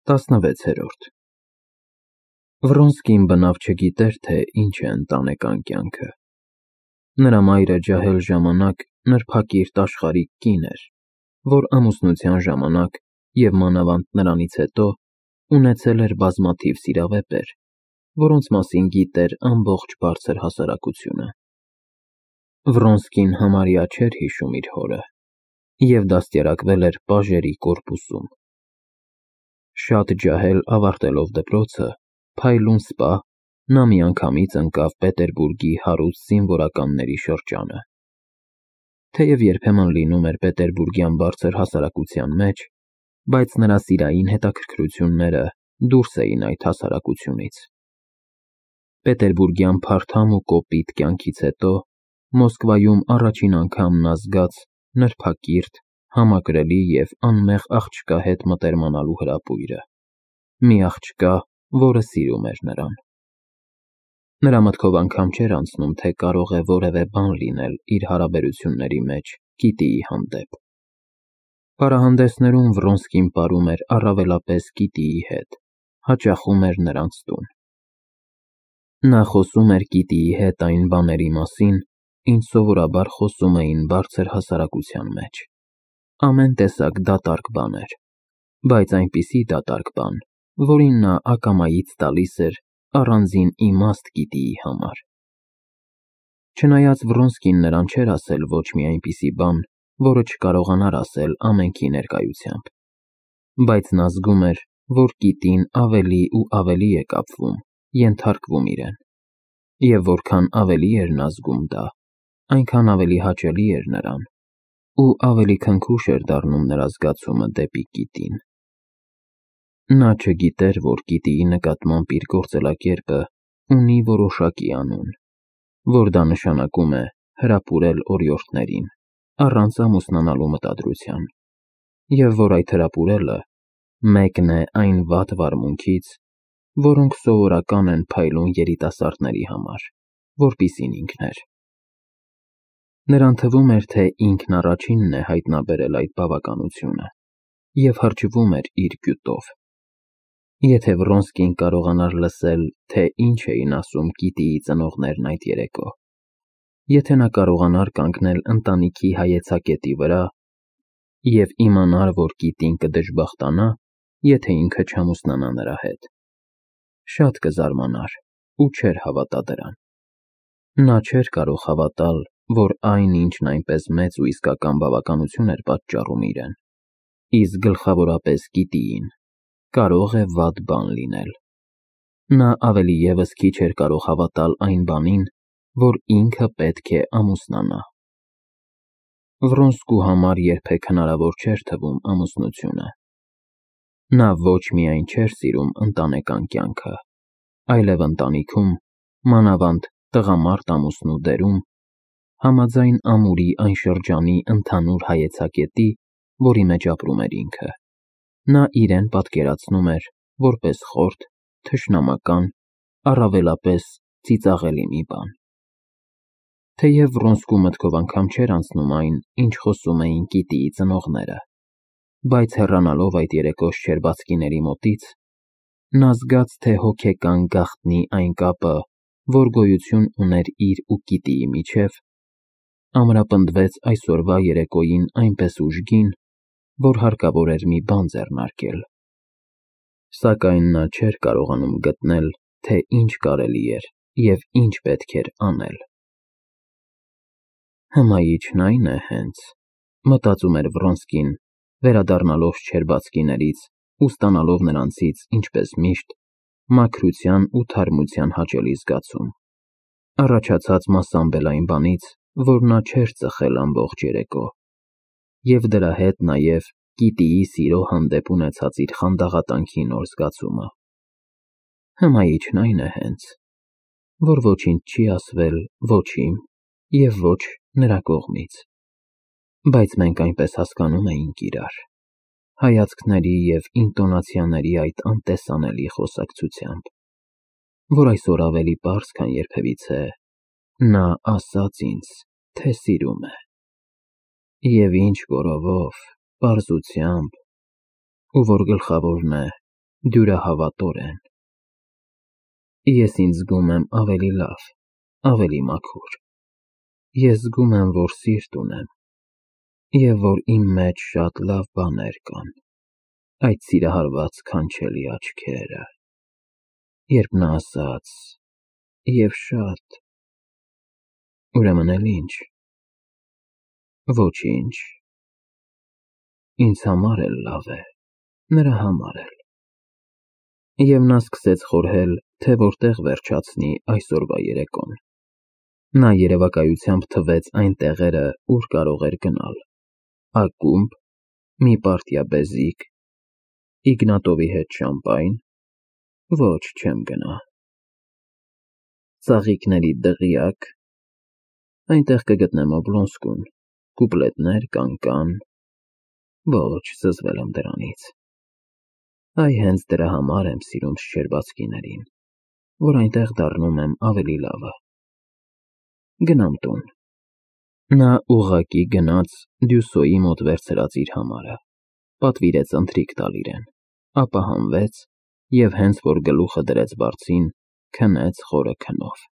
16-րդ Վրոնսկին բնավ չգիտեր, թե ինչ է ընտանեկան կյանքը։ Նրա մայրը ջահել ժամանակ նրբակիրթ աշխարհիկ կին էր, որ ամուսնության ժամանակ և մանավանդ նրանից հետո ունեցել էր բազմաթիվ սիրավեպեր, որոնց մասին գիտեր ամբողջ բարձր հասարակությունը։ Վրոնսկին համարյա չէր հիշում իր հորը և դաստիարակվել էր պաժերի կորպուսում։ Շատ ջահել ավարտելով դպրոցը, փայլուն սպա, նա միանգամից ընկավ Պետերբուրգի հարուստ զինվորականների շրջանը։ Թեև երբեմն լինում էր պետերբուրգյան բարձր հասարակության մեջ, բայց նրա սիրային հետաքրքրությունները դուրս էին այդ հասարակությունից։ Պետերբուրգյան փարթամ ու կոպիտ կյանքից հետո Մոսկվայում առաջին անգամ նա զգաց նրբակիրթ, համակրելի և անմեղ աղջկա հետ մտերմանալու հրապույրը, մի աղջկա, որը սիրում էր նրան։ Նրա մտքով անգամ չէր անցնում, թե կարող է որևէ բան լինել իր հարաբերությունների մեջ Կիտիի հանդեպ։ Պարահանդեսներում Վրոնսկին պարում էր առավելապես Կիտիի հետ, հաճախում էր նրանց տուն։ Նա խոսում էր Կիտիի հետ այն բաների մասին, ինչ սովորաբար խոսում էին բարձր հասարակության մեջ։ Ամեն տեսակ դատարկ բաներ, բայց այնպիսի դատարկ բան, որին նա ակամայից տալիս էր առանձին իմաստ Կիտիի համար։ Չնայած Վրոնսկին նրան չէր ասել ոչ մի այնպիսի բան, որը չկարողանար ասել ամենքի ներկայությամբ, բայց նա զգում էր, որ Կիտին ավելի ու ավելի է կապվում, ենթարկվում իրեն, և որքան ավելի էր նա զգում դա, այնքան ավելի հաճելի էր նրան, ու ավելի քնքուշ էր դառնում նրա զգացումը դեպի Կիտին։ Նա չգիտեր, որ Կիտիի նկատմամբ իր գործելակերպը ունի որոշակի անուն, որ դա նշանակում է հրապուրել օրիորդներին, առանց ամուսնանալու մտադրության, և որ այդ հրապուրելը մեկն է այն վատ վարմունքից, որոնք սովորական են փայլուն երիտասարդների համար, որպիսին ինքն էր։ Նրան թվում էր, թե ինքն առաջինն է հայտնաբերել այդ բավականությունը և հրճվում էր իր գյուտով։ Եթե Վրոնսկին կարողանար լսել, թե ինչ էին ասում Կիտիի ծնողներն այդ երեկո, եթե նա կարողանար կանգնել ընտանիքի հայեցակետի վրա և իմանար, որ Կիտին կդժբախտանա, եթե ինքը չամուսնանա նրա հետ, շատ կզարմանար ու չէր հավատա դրան։ Նա չէր կարող հավատալ, որ այն, ինչն այնպես մեծ ու իսկական բավականություն էր պատճառում իրեն, իսկ գլխավորապես Կիտիին, կարող է վատ բան լինել։ Նա ավելի ևս քիչ էր կարող հավատալ այն բանին, որ ինքը պետք է ամուսնանա։ Վրոնսկու համար երբեք հնարավոր չէր թվում ամուսնությունը։ Նա ոչ միայն չէր սիրում ընտանեկան կյանքը, այլև ընտանիքում, մանավանդ տղամարդ ամուսնու դերում, համաձայն ամուրի այն շրջանի ընդհանուր հայեցակետի, որի մեջ ապրում էր ինքը, նա իրեն պատկերացնում էր որպես խորթ, թշնամական, առավելապես ծիծաղելի մի բան։ Թեև Վրոնսկու մտքով անգամ չէր անցնում այն, ինչ խոսում էին Կիտիի ծնողները, բայց հեռանալով այդ երեկո շչերբացկիների մոտից, նա զգաց, թե հոգեկան գաղտնի այն կապը, որ գոյություն ուներ իր ու Կիտիի միջև, ամրապնդվեց այսօրվա երեկոյին այնպես ուժգին, որ հարկավոր էր մի բան ձեռնարկել։ Սակայն նա չէր կարողանում գտնել, թե ինչ կարելի էր և ինչ պետք էր անել։ Հմայիչն այն է հենց, մտածում էր Վրոնսկին, վերադառնալով շչերբացկիներից ու ստանալով նրանցից, ինչպես միշտ, մաքրության ու թարմության հաճելի զգացում, առաջացած մասամբ էլ այն բանից, որ նա չէր ծխել ամբողջ երեկո, և դրա հետ նաև Կիտիի սիրո հանդեպ ունեցած իր խանդաղատանքի նոր զգացումը։ Հմայիչն այն է հենց, որ ոչինչ չի ասվել ոչ իմ և ոչ նրա կողմից, բայց մենք այնպես հասկանում էինք իրար, հայացքների և ինտոնացիաների այդ անտեսանելի խոսակցությամբ, որ այսօր ավելի պարզ, քան երբևիցե, նա ասաց ինձ, թե սիրում է, և ինչ gorովով, պարզությամբ, ու որ գլխավորն է, դյուրահավատորեն։ Ես ինձ զգում եմ ավելի լավ, ավելի մաքուր։ Ես զգում եմ, որ սիրտ ունեմ, և որ իմ մեջ շատ լավ բաներ կան, այդ սիրահարված քանչելի աչքերը, երբ նա ասաց. «Եվ շատ»։ Ուրեմն էլ ի՞նչ։ Ոչինչ։ Ինձ համար էլ լավ է, նրա համար էլ։ Եվ նա սկսեց խորհել, թե որտեղ վերջացնի այսօրվա երեկոն։ Նա երևակայությամբ թվեց այն տեղերը, ուր կարող էր գնալ. ակումբ, մի պարտիա բեզիկ, Իգնատովի հետ շամպայն։ Ոչ, չեմ գնա։ Ծաղիկների դղյակ, այնտեղ կգտնեմ Օբլոնսկուն, կուպլետներ, կանկան։ Ոչ, զզվել եմ դրանից։ Այ հենց դրա համար եմ սիրում Շչերբացկիներին, որ այնտեղ դառնում եմ ավելի լավը։ Գնամ տուն։ Նա ուղղակի գնաց Դյուսոյի մոտ վերցրած իր համարը, պատվիրեց ընթրիք տալ իրեն, ապա հանվեց և հենց որ գլուխը դրեց բարձին, քնեց խորը քնով։